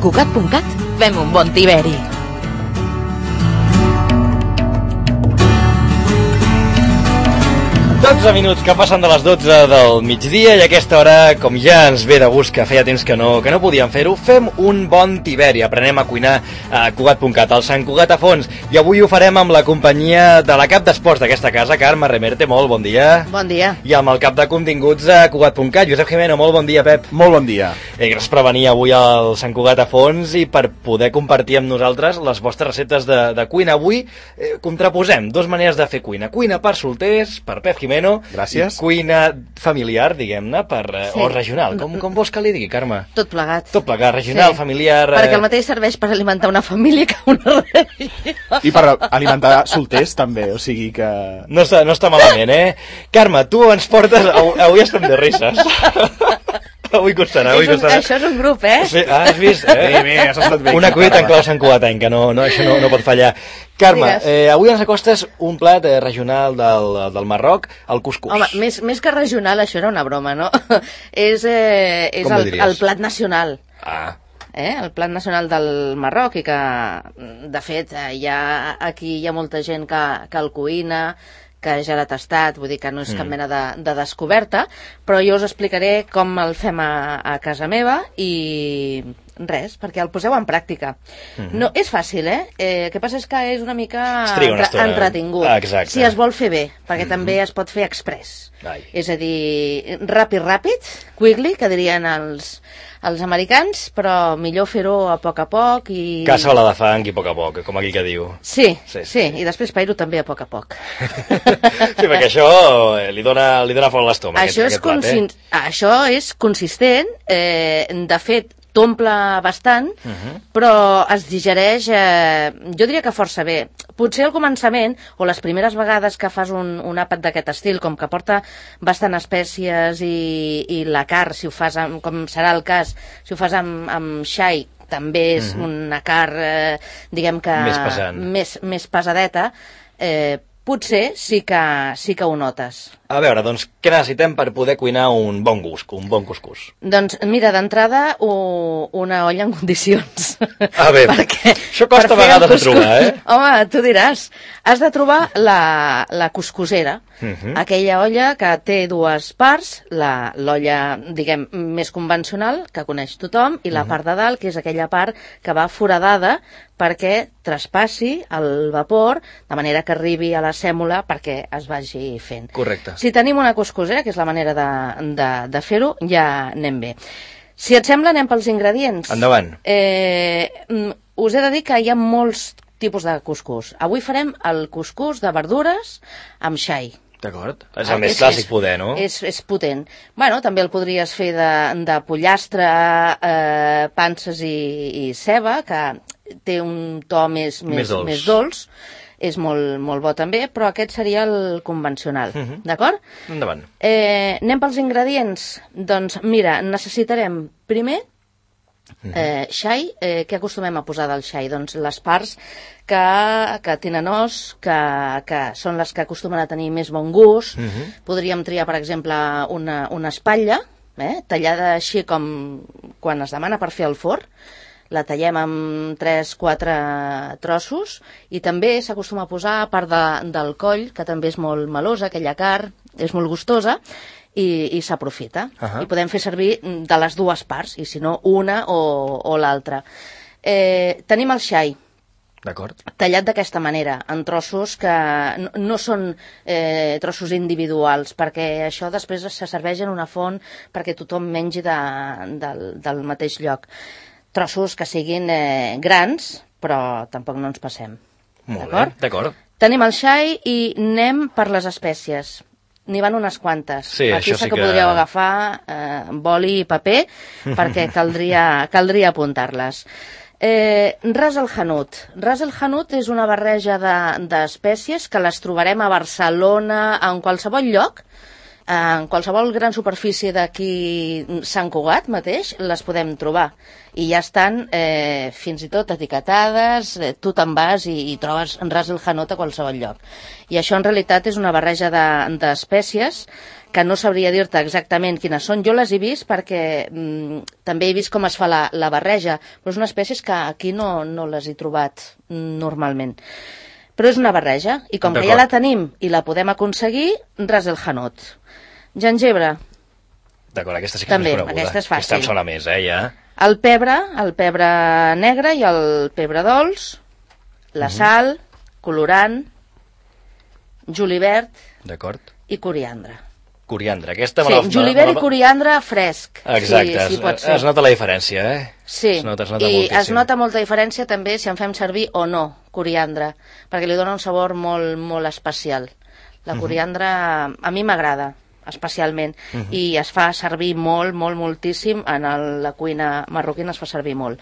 Cugat.cat fem un bon tiberi. Minuts que passen de les 12 del migdia i a aquesta hora, com ja ens ve de gust que feia temps que no podíem fer-ho, fem un bon tiberi, aprenem a cuinar a Cugat.cat, al Sant Cugat a fons, i avui ho farem amb la companyia de la cap d'esports d'aquesta casa, Carme Remerte, molt bon dia. Bon dia. I amb el cap de continguts a Cugat.cat, Josep Jimeno, molt bon dia, Pep. Molt bon dia. Gràcies per venir avui al Sant Cugat a fons i per poder compartir amb nosaltres les vostres receptes de cuina. Avui contraposem dues maneres de fer cuina. Cuina per solters, per Pep Jimeno. Gràcies. I cuina familiar, diguem-ne, o regional. Com vols que li digui, Carme? Tot plegat. Tot plegat, regional, familiar... Perquè el mateix serveix per alimentar una família que una religió. I per alimentar solters, també, o sigui que... No està malament, Carme, tu ens portes... Avui estem de risses. Avui costarà. Això és un grup, Sí, has vist? Bé, has estat bé. Una cuita en clau santcugatenca, això no pot fallar. Carme, avui ens acostes un plat regional del Marroc, el cuscús. Home, més que regional, això era una broma, no? És el plat nacional. Ah. El plat nacional del Marroc i que, de fet, aquí hi ha molta gent que el cuina, que ja l'ha tastat, vull dir que no és cap mena de descoberta, però jo us explicaré com el fem a casa meva i res, perquè el poseu en pràctica. No, és fàcil, el que passa és que és una mica entretingut. Exacte. Si es vol fer bé, perquè també es pot fer express. És a dir, ràpid, quickly, que dirien els americans, però millor fer-ho a poc i... Cassola de fang i a poc, com aquell que diu. Sí, i després pair-ho també a poc. Sí, perquè això li dona fort a l'estómac. Això és consistent, de fet, t'omple bastant, però es digereix, jo diria que força bé. Potser al començament, o les primeres vegades que fas un àpat d'aquest estil, com que porta bastant espècies i la carn, si ho fas, com serà el cas, si ho fas amb xai, també és una carn, diguem que... Més pesant. Més pesadeta, potser sí que ho notes. A veure, doncs, què necessitem per poder cuinar un bon cuscús? Doncs, mira, d'entrada, una olla en condicions. Bé, això costa a vegades de trobar, Home, tu diràs, has de trobar la cuscusera, aquella olla que té dues parts, l'olla, diguem, més convencional, que coneix tothom, i la part de dalt, que és aquella part que va foradada perquè traspassi el vapor, de manera que arribi a la sèmola perquè es vagi fent. Correcte. Si tenim una cuscusera, que és la manera de fer-ho, ja anem bé. Si et sembla, anem pels ingredients. Endavant. Us he de dir que hi ha molts tipus de cuscús. Avui farem el cuscús de verdures amb xai. D'acord. És el més clàssic poder, no? És potent. Bueno, també el podries fer de pollastre, panses i ceba, que té un to més dolç. És molt bo també, però aquest seria el convencional, d'acord? Endavant. Anem pels ingredients? Doncs mira, necessitarem primer xai. Què acostumem a posar del xai? Doncs les parts que tenen os, que són les que acostumen a tenir més bon gust. Podríem triar, per exemple, una espatlla, tallada així com quan es demana per fer el forn. La tallem amb 3-4 trossos i també s'acostuma a posar a part del coll, que també és molt melosa, aquella carn, és molt gustosa, i s'aprofita. I podem fer servir de les dues parts, i si no, una o l'altra. Tenim el xai. D'acord. Tallat d'aquesta manera, en trossos que no són trossos individuals, perquè això després se serveix en una font perquè tothom mengi del mateix lloc. Trossos que siguin grans, però tampoc no ens passem. Molt bé, d'acord. Tenim el xai i anem per les espècies. N'hi van unes quantes. Sí, aquí sí que podríeu agafar boli i paper, perquè caldria apuntar-les. Ras el Hanout. Ras el Hanout és una barreja d'espècies que les trobarem a Barcelona, en qualsevol lloc. En qualsevol gran superfície d'aquí Sant Cugat mateix les podem trobar i ja estan fins i tot etiquetades, tu te'n vas i trobes Ras el Hanout a qualsevol lloc. I això en realitat és una barreja d'espècies que no sabria dir-te exactament quines són. Jo les he vist perquè també he vist com es fa la barreja, però és una espècie que aquí no les he trobat normalment. Però és una barreja, i com que ja la tenim i la podem aconseguir, Ras el Hanout. Gengebre. D'acord, aquesta sí que és més coneguda. Aquesta és fàcil. Aquesta em sona més, ja. El pebre negre i el pebre dolç, la sal, colorant, julivert i coriandre. Coriandre, aquesta... Sí, julivert i coriandre fresc. Exacte, sí, pot ser. Es nota la diferència, Sí, es nota i moltíssim. es nota molta diferència també si en fem servir o no coriandre, perquè li dona un sabor molt, molt especial. La coriandre a mi m'agrada especialment, i es fa servir moltíssim en la cuina marroquina, es fa servir molt.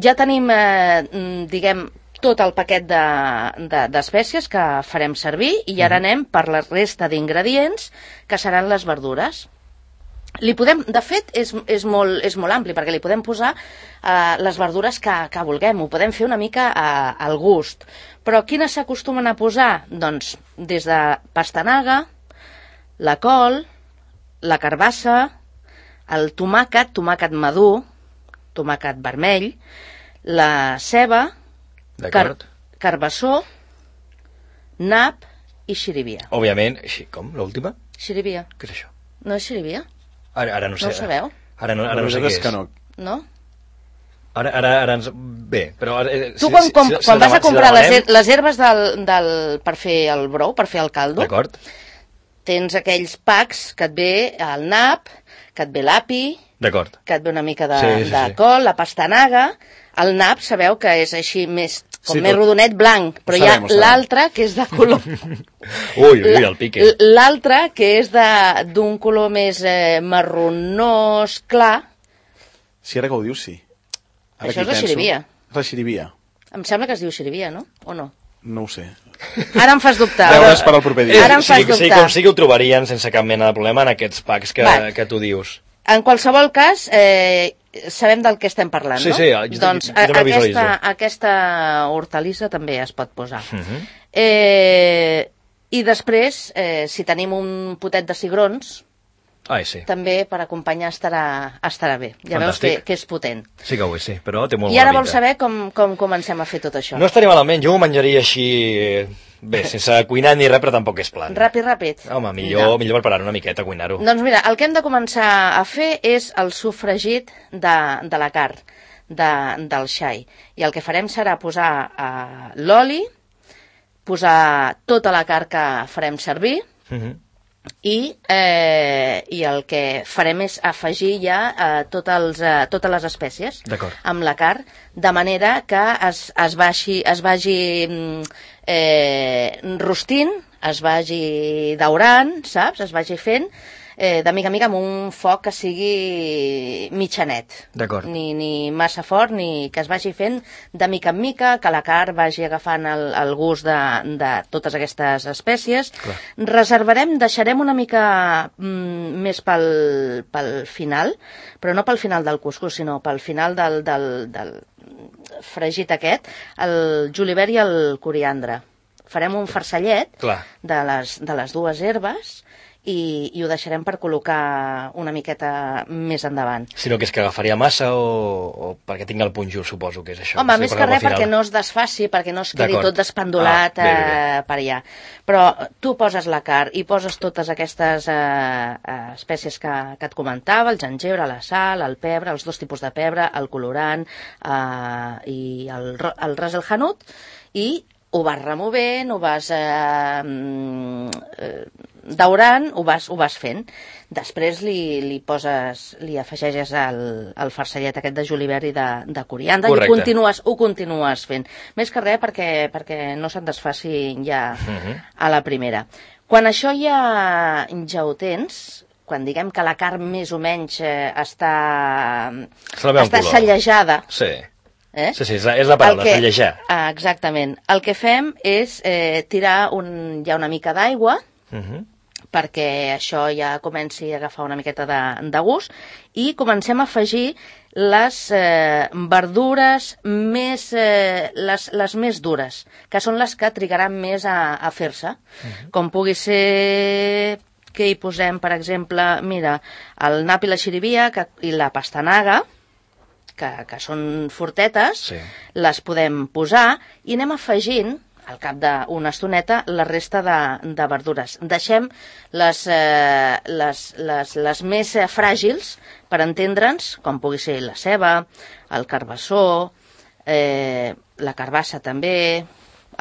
Ja tenim, diguem, tot el paquet d'espècies que farem servir i ara anem per la resta d'ingredients que seran les verdures. De fet, és molt ampli perquè li podem posar les verdures que vulguem, ho podem fer una mica al gust. Però quines s'acostumen a posar? Doncs des de pastanaga, la col, la carbassa, el tomàquet madur, tomàquet vermell, la ceba, carbassó, nap i xirivia. Òbviament, com? L'última? Xirivia. Què és això? No és xirivia? Ara no sé. No ho sabeu? Ara no sé què és. No? Ara ens... Bé, però... Tu quan vas a comprar les herbes per fer el brou, per fer el caldo, tens aquells packs que et ve el nap, que et ve l'api, que et ve una mica de col, la pastanaga. El nap, sabeu que és així més rodonet, blanc, però hi ha l'altre que és de color... Ui, el pique. L'altre que és d'un color més marronós clar. Sí, ara que ho dius, sí. Això és la xirivia. És la xirivia. Em sembla que es diu xirivia, no? O no? No ho sé. Ara em fas dubtar. Deures per al proper dia. Ara em fas dubtar. Sí, com sigui ho trobarien sense cap mena de problema en aquests packs que tu dius. En qualsevol cas, sabem del que estem parlant, no? Sí, doncs aquesta hortalissa també es pot posar. I després, si tenim un potet de cigrons, també per acompanyar estarà bé. Ja veus que és potent. Sí que ho és, sí, però té molt bona pinta. I ara pinta. vols saber com comencem a fer tot això? No estaria malament, jo ho menjaria així, bé, sense cuinar ni res, però tampoc és plan. Ràpid. Home, millor preparar una miqueta, cuinar-ho. Doncs mira, el que hem de començar a fer és el sofregit de la carn, del xai. I el que farem serà posar l'oli, posar tota la carn que farem servir, i el que farem és afegir ja totes les espècies amb la carn, de manera que es vagi rostint, es vagi daurant, saps? Es vagi fent de mica en mica amb un foc que sigui mitjanet. Ni massa fort, ni que es vagi fent de mica en mica, que la carn vagi agafant el gust de totes aquestes espècies. Deixarem una mica més pel final, però no pel final del cuscús, sinó pel final del fregit aquest, el julivert i el coriandre. Farem un farcellet de les dues herbes i ho deixarem per col·locar una miqueta més endavant. Sinó que és que agafaria massa o perquè tinc el punt just, suposo que és això. Home, més que res perquè no es desfaci, perquè no es quedi tot despendolat per allà. Però tu poses la carn i poses totes aquestes espècies que et comentava, el gengebre, la sal, el pebre, els dos tipus de pebre, el colorant i el Ras el Hanout, i ho vas removent, ho vas daurant, ho vas fent. Després li afegeixes el farcellet aquest de julivert i de coriandre i ho continues fent. Més que res perquè no se'n desfaci ja a la primera. Quan això ja ho tens, quan diguem que la carn més o menys està sallejada... Sí, és la paraula, sallejar. Exactament. El que fem és tirar ja una mica d'aigua perquè això ja comenci a agafar una miqueta de gust, i comencem a afegir les verdures més, les més dures, que són les que trigaran més a fer-se, com pugui ser que hi posem, per exemple, mira, el nap i la xirivia i la pastanaga, que són fortetes, les podem posar i anem afegint al cap d'una estoneta la resta de verdures. Deixem les més fràgils, per entendre'ns, com pugui ser la ceba, el carbassó, la carbassa també,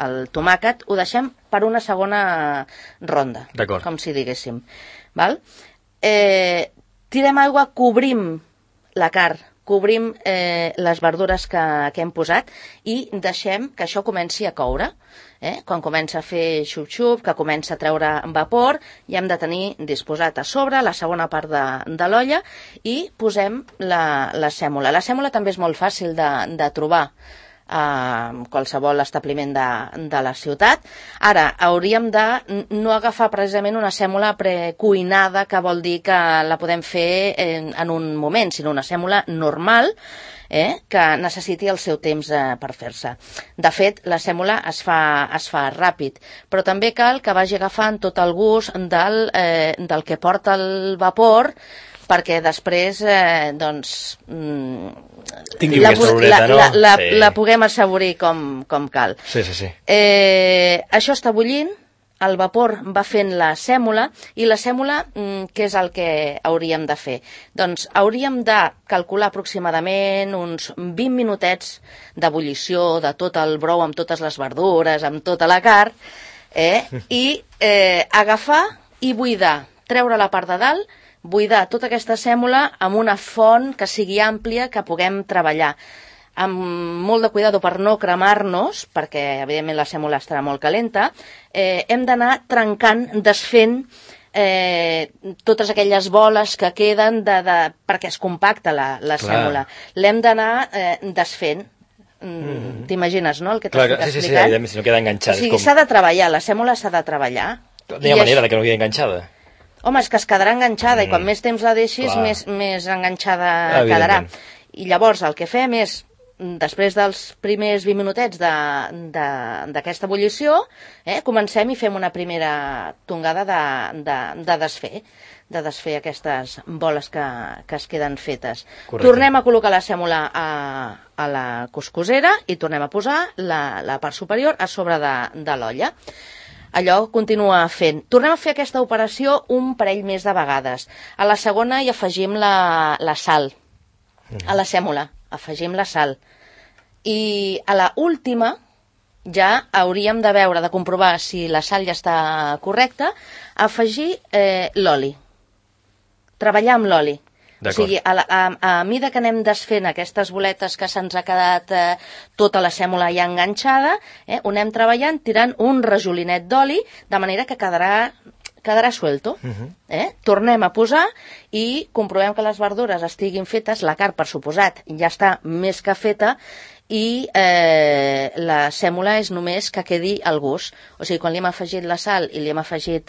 el tomàquet, ho deixem per una segona ronda, com si diguéssim. Val? Tirem aigua, cobrim la carn, cobrim les verdures que hem posat i deixem que això comenci a coure. Quan comença a fer xup-xup, que comença a treure vapor, ja hem de tenir disposat a sobre la segona part de l'olla i posem la sèmola. La sèmola també és molt fàcil de trobar a qualsevol establiment de la ciutat. Ara, hauríem de no agafar precisament una sèmola precuinada, que vol dir que la podem fer en un moment, sinó una sèmola normal, que necessiti el seu temps per fer-se. De fet, la sèmola es fa ràpid, però també cal que vagi agafant tot el gust del que porta el vapor, perquè després tingui aquesta oloreta, no? La puguem assaborir com cal. Sí. Això està bullint, el vapor va fent la sèmola, i la sèmola, què és el que hauríem de fer? Doncs hauríem de calcular aproximadament uns 20 minutets d'ebullició de tot el brou, amb totes les verdures, amb tota la carn, i agafar i buidar, treure la part de dalt, buidar tota aquesta sèmola amb una font que sigui àmplia, que puguem treballar. Amb molt de cuidado per no cremar-nos, perquè evidentment la sèmola estarà molt calenta, hem d'anar trencant, desfent totes aquelles boles que queden perquè es compacta la sèmola. L'hem d'anar desfent. T'imagines, no, el que t'estic explicant? Sí, si no queda enganxat. O sigui, s'ha de treballar, la sèmola s'ha de treballar. No hi ha manera de que no quedi enganxada. Home, és que es quedarà enganxada, i quan més temps la deixis, més enganxada quedarà. I llavors el que fem és, després dels primers 20 minutets d'aquesta ebullició, comencem i fem una primera tongada de desfer aquestes boles que es queden fetes. Correcte. Tornem a col·locar la sèmola a la cuscusera i tornem a posar la part superior a sobre de l'olla. Allò continua fent. Tornem a fer aquesta operació un parell més de vegades. A la segona hi afegim la sal. A la sèmola afegim la sal. I a la última ja hauríem de veure, de comprovar si la sal ja està correcta, afegir l'oli. Treballar amb l'oli. O sigui, a mida que anem desfent aquestes boletes que se'ns ha quedat tota la sèmola ja enganxada, ho anem treballant tirant un rajolinet d'oli, de manera que quedarà suelto. Tornem a posar i comprovem que les verdures estiguin fetes, la carn, per suposat, ja està més que feta, i la sèmola és només que quedi el gust. O sigui, quan li hem afegit la sal i li hem afegit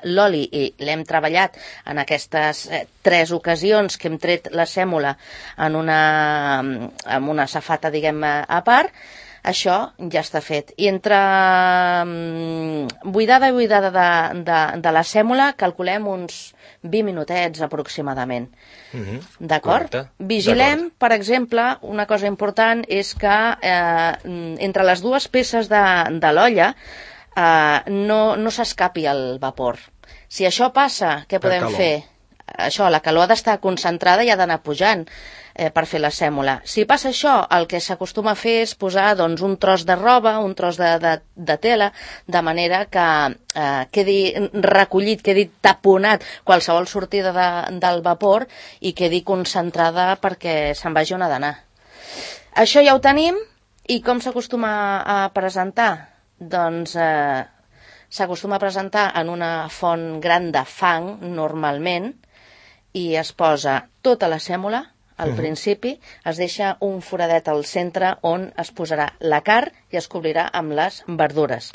l'oli i l'hem treballat en aquestes 3 ocasions que hem tret la sèmola en una safata, diguem, a part, això ja està fet. I entre buidada i buidada de la sèmola calculem uns 20 minutets aproximadament. D'acord? Vigilem, per exemple, una cosa important és que entre les dues peces de l'olla no s'escapi el vapor. Si això passa, què podem fer? Això, la calor ha d'estar concentrada i ha d'anar pujant per fer la sèmola. Si passa això, el que s'acostuma a fer és posar un tros de roba, un tros de tela, de manera que quedi recollit, quedi taponat qualsevol sortida del vapor i quedi concentrada perquè se'n vagi on ha d'anar. Això ja ho tenim. I com s'acostuma a presentar? Doncs s'acostuma a presentar en una font gran de fang, normalment, i es posa tota la sèmola al principi, es deixa un foradet al centre on es posarà la carn i es cobrirà amb les verdures.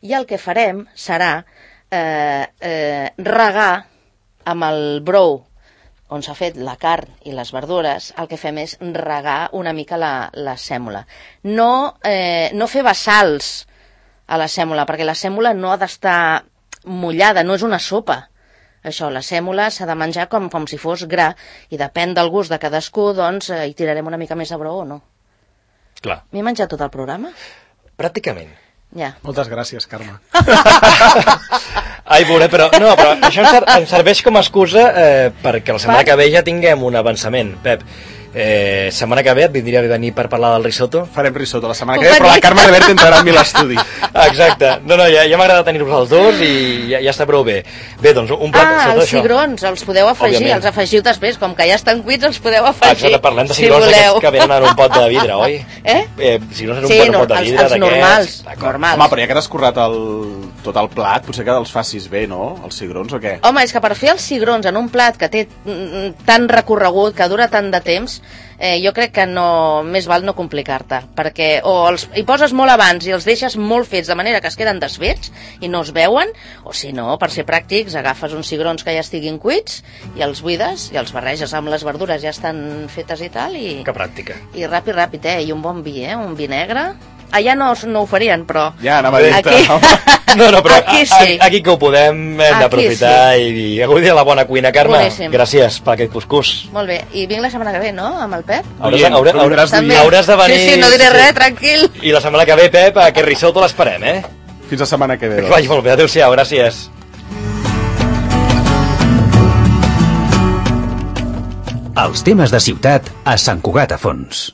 I el que farem serà regar amb el brou on s'ha fet la carn i les verdures, el que fem és regar una mica la sèmola. No fer vessals a la sèmola, perquè la sèmola no ha d'estar mullada, no és una sopa. Això, la sèmola s'ha de menjar com si fos gra, i depèn del gust de cadascú, doncs hi tirarem una mica més de brou o no. Clar. M'he menjat tot el programa? Pràcticament. Ja. Moltes gràcies, Carme. Ai, veuré, però això ens serveix com a excusa perquè la setmana que ve ja tinguem un avançament. Pep, setmana que ve et vindria bé venir per parlar del risotto? Farem risotto la setmana que ve, però la Carme Reverte entrarà amb mi a l'estudi. Exacte. No, ja m'agrada tenir-vos els dos i ja està prou bé. Bé, doncs un plat... els cigrons, els podeu afegir, Òbviament. Els afegiu després, com que ja estan cuits, els podeu afegir. Exacte, parlem de cigrons d'aquests que venen en un pot de vidre, oi? Cigrons en un pot de vidre els normals. Home, però ja que t'has currat tot el plat, potser que els facis bé, no? Els cigrons o què? Home, és que per fer els cigrons en un plat que té tant recorregut, que dura tant de temps, jo crec que més val no complicar-te, perquè o hi poses molt abans i els deixes molt fets de manera que es queden desfets i no es veuen, o si no, per ser pràctics, agafes uns cigrons que ja estiguin cuits i els buides i els barreges amb les verdures, ja estan fetes i tal, i... Que pràctica. I ràpid, i un bon vi, un vi negre. Allà no ho farien, però... Ja, anava a dir-te. Aquí... No, però aquí sí. Aquí que ho podem hem d'aprofitar i gaudir de la bona cuina. Carme, boníssim. Gràcies per aquest cuscús. Molt bé, i vinc la setmana que ve, no?, amb el Pep? Hauràs de venir... Sí, no diré res, tranquil. I la setmana que ve, Pep, aquest risotto l'esperem, Fins la setmana que ve. Que vagi molt bé, adéu-siau, gràcies. Els temes de ciutat a Sant Cugat a Fons.